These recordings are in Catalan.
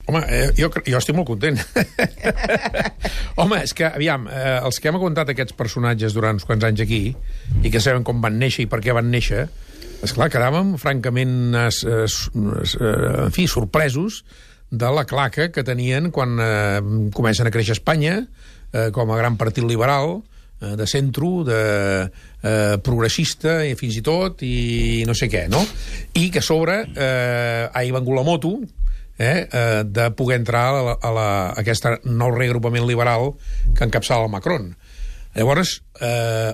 Home, jo estic molt content. Home, és que, aviam, els que hem contat aquests personatges durant uns quants anys aquí, i que sabem com van néixer i per què van néixer, esclar, quedàvem francament, en fi, sorpresos de la claca que tenien quan comencen a créixer a Espanya, com a gran partit liberal, de centro, de progressista, i fins i tot, i no sé què, no? I que a sobre ha vengut la moto, de poder entrar a aquest nou reagrupament liberal que encapçala el Macron. Llavors,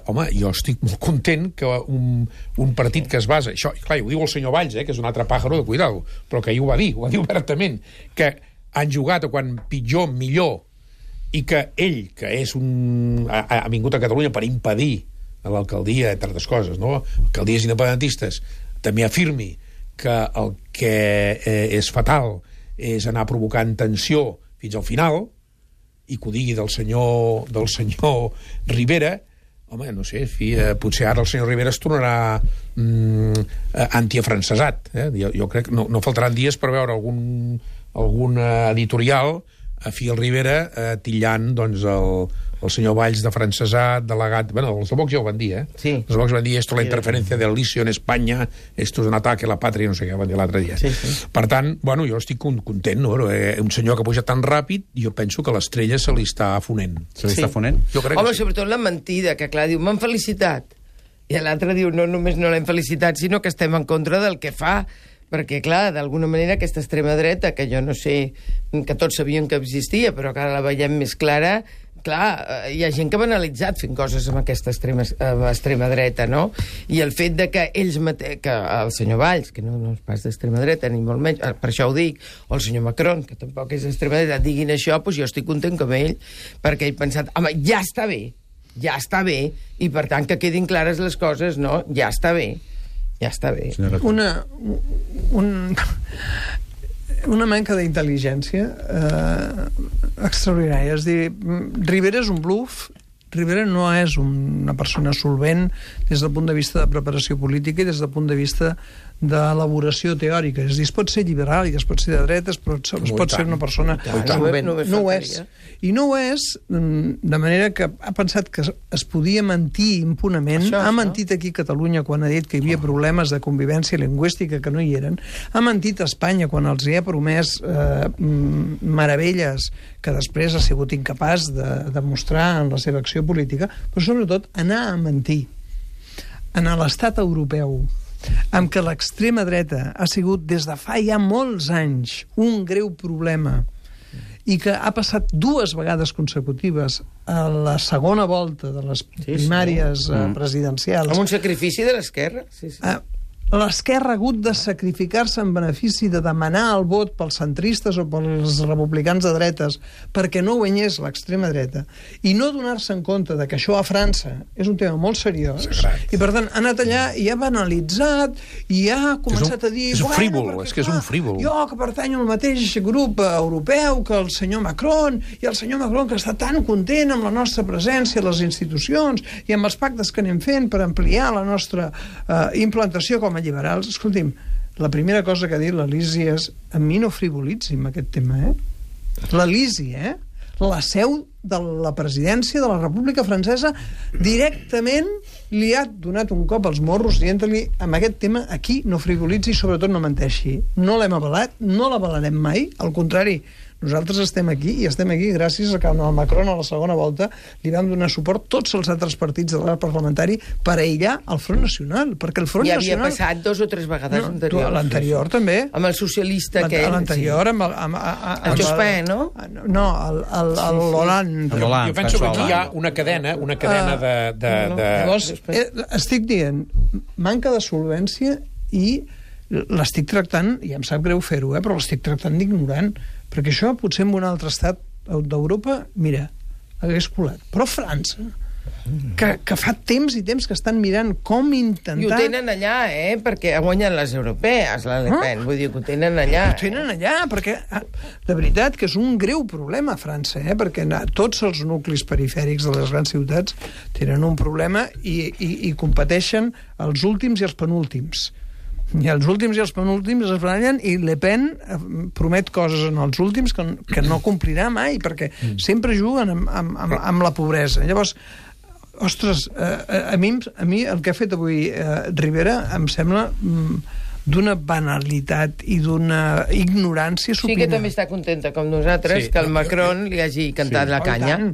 home, jo estic molt content que un partit que es basa... Això, clar, ho diu el senyor Valls, que és un altre pàjaro de cuidado, però que ho va dir obertament, que han jugat a quan pitjor, millor, i que ell, que és ha vingut a Catalunya per impedir a l'alcaldia, entre altres coses, no? Alcaldies independentistes, també afirmi que el que és fatal és anar provocant tensió fins al final, i que ho digui del senyor Rivera, home, no sé, potser ara el senyor Rivera es tornarà antiafrancesat. Jo crec que no faltaran dies per veure algun editorial a fi el Rivera titllant doncs, el senyor Valls de francesat, delegat... Bueno, els de Vox ja ho van dir, Sí. Els de Vox van dir esto la interferència del Licio en Espanya, esto es un ataque a la patria, no sé què van dir l'altre dia. Sí. Per tant, bueno, jo estic content, no? Un senyor que puja tan ràpid, jo penso que l'estrella se li està fonent. Se li està fonent? Jo crec Home, que sí. sobretot la mentida, que clar, diu, m'han felicitat. I l'altre diu, no només no l'hem felicitat, sinó que estem en contra del que fa. Perquè, clar, d'alguna manera aquesta extrema dreta, que jo no sé, que tots sabien que existia, però que ara la veiem més clara, clar, hi ha gent que ha banalitzat fent coses amb aquesta extrema dreta, no? I el fet de que que el senyor Valls, que no és pas d'extrema dreta, ni molt menys, per això ho dic, o el senyor Macron, que tampoc és d'extrema dreta, diguin això, doncs jo estic content com ell, perquè ell ha pensat, home, ja està bé, i per tant que quedin clares les coses, no? Ja està bé. Una manca d'intel·ligència extraordinària. És dir, Rivera és un bluff. Rivera no és una persona solvent des del punt de vista de preparació política i des del punt de vista d'elaboració teòrica. És dir, es pot ser liberal i es pot ser de dretes, però es pot ser una persona solvent. No ho és. I no ho és, de manera que ha pensat que es podia mentir impunament. Ha mentit aquí a Catalunya quan ha dit que hi havia problemes de convivència lingüística que no hi eren. Ha mentit a Espanya quan els hi ha promès meravelles que després ha sigut incapaç de demostrar en la seva acció política, però sobretot anar a mentir en l'estat europeu, amb què l'extrema dreta ha sigut des de fa ja molts anys un greu problema i que ha passat 2 vegades consecutives a la segona volta de les primàries presidencials. Amb un sacrifici de l'esquerra. Sí. L'esquerra ha hagut de sacrificar-se en benefici de demanar el vot pels centristes o pels republicans de dretes perquè no guanyés l'extrema dreta i no donar-se en compte de que això a França és un tema molt seriós i per tant ha anat allà i ha banalitzat i ha començat a dir és un frívol, és que és un frívol. Jo que pertanyo al mateix grup europeu que el senyor Macron i el senyor Macron que està tan content amb la nostra presència a les institucions i amb els pactes que anem fent per ampliar la nostra implantació com a liberals. Escolti'm, la primera cosa que ha dit l'Elisi és a mi no frivolitzi amb aquest tema, L'Elisi, la seu de la presidència de la República Francesa directament li ha donat un cop als morros dient-li amb aquest tema aquí no frivolitzi i sobretot no menteixi. No l'hem avalat, no l'avalarem mai, al contrari, nosaltres estem aquí i estem aquí gràcies a que el Macron a la segona volta li vam donar suport tots els altres partits de l'arc parlamentari per aïllar el Front Nacional, perquè el Front Nacional... Ja havia passat 2 o 3 vegades anteriors. L'anterior també. Amb el socialista aquell. L'anterior amb el Jospin, no? No, el Hollande. Jo penso que aquí hi ha una cadena de... Llavors, estic dient, manca de solvència i l'estic tractant, i em sap greu fer-ho, però l'estic tractant d'ignorant, perquè això potser en un altre estat d'Europa, mira, hagués colat. Però França, que fa temps i temps que estan mirant com intentar... I ho tenen allà, perquè guanyen les europees, la Le Pen, vull dir que ho tenen allà. Ho tenen allà, perquè de veritat que és un greu problema a França, perquè tots els nuclis perifèrics de les grans ciutats tenen un problema i competeixen els últims i els penúltims. I els últims i els penúltims es barallen i Le Pen promet coses en els últims que no complirà mai, perquè sempre juguen amb la pobresa. Llavors, ostres, a mi el que ha fet avui Rivera em sembla d'una banalitat i d'una ignorància supina. Sí que també està contenta com nosaltres que el Macron li hagi cantat la canya.